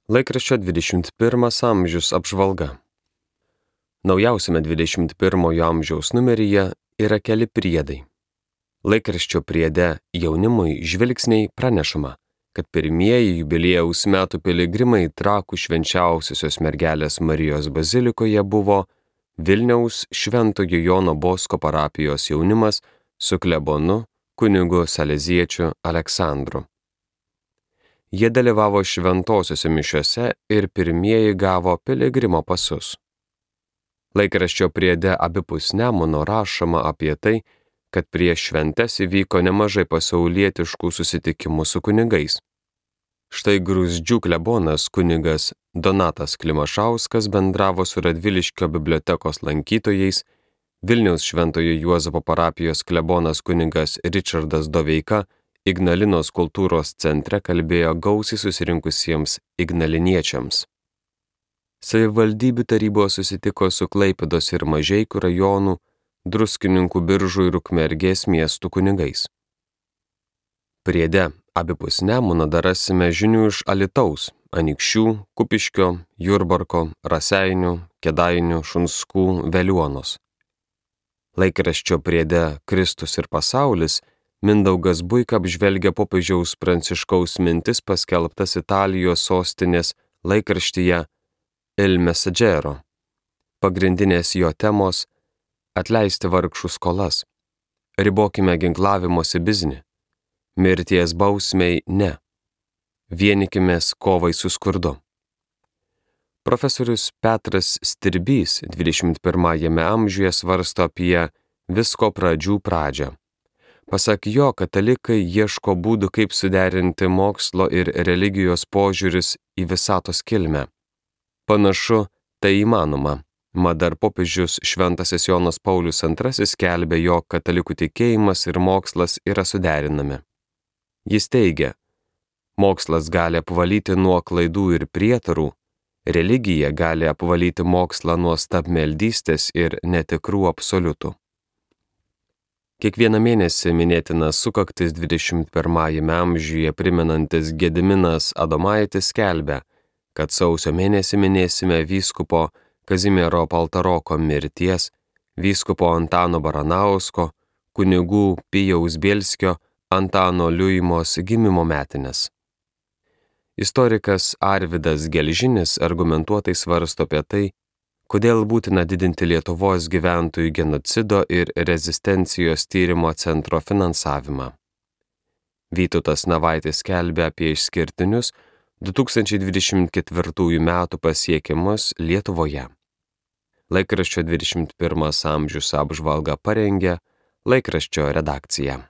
Laikraščio 21 amžius apžvalga. Naujausiame 21 amžiaus numeryje yra keli priedai. Laikraščio priede jaunimui žvilgsniai pranešama, kad pirmieji jubiliejaus metų piligrimai Trakų švenčiausiosios mergelės Marijos bazilikoje buvo Vilniaus Šventojo Jono Bosko parapijos jaunimas su klebonu kunigu saleziečiu Aleksandru. Jie dalyvavo šventosiuose mišiose ir pirmieji gavo piligrimo pasus. Laikraščio priede abipus Nemuno rašoma apie tai, kad prieš šventes įvyko nemažai pasaulietiškų susitikimų su kunigais. Štai Gruzdžių klebonas kunigas Donatas Klimašauskas bendravo su Radviliškio bibliotekos lankytojais, Vilniaus Šventojo Juozapo parapijos klebonas kunigas Ričardas Doveika Ignalinos kultūros centre kalbėjo gausiai susirinkusiems ignaliniečiams. Savivaldybių tarybos susitiko su Klaipėdos ir Mažeikių rajonų, Druskininkų, Biržų ir Ukmergės miestų kunigais. Priede abipus Nemuno dar rasime žinių iš Alytaus, Anykščių, Kupiškio, Jurbarko, Raseinių, Kėdainių, Šunskų, Veliuonos. Laikraščio priede Kristus ir pasaulis Mindaugas Buika apžvelgia popiežiaus Pranciškaus mintis paskelbtas Italijos sostinės laikraštyje Il Messaggero. Pagrindinės jo temos – atleisti vargšų skolas, ribokime ginklavimosi biznį, mirties bausmei ne, vienykimės kovai su skurdu. Profesorius Petras Stirbys 21 amžiuje svarsto apie visko pradžių pradžią. Pasak jo, katalikai ieško būdų, kaip suderinti mokslo ir religijos požiūris į visatos kilmę. Panašu, tai įmanoma, mat dar popiežius Šventasis Jonas Paulius II skelbė, jog katalikų tikėjimas ir mokslas yra suderinami. Jis teigia, mokslas gali apvalyti nuo klaidų ir prietarų, religija gali apvalyti mokslą nuo stabmeldystės ir netikrų absoliutų. Kiekvieną mėnesį minėtina sukaktis 21 amžiuje primenantis Gediminas Adomaitis skelbia, kad sausio mėnesį minėsime vyskupo Kazimiero Paltaroko mirties, vyskupo Antano Baranausko, kunigų Pijaus Bielskio, Antano Liuimos gimimo metines. Istorikas Arvydas Gelžinis argumentuotai svarsto apie tai, kodėl būtina didinti Lietuvos gyventojų genocido ir rezistencijos tyrimo centro finansavimą. Vytautas Navaitis skelbia apie išskirtinius 2024 metų pasiekimus Lietuvoje. Laikraščio 21 amžius apžvalgą parengė laikraščio redakcija.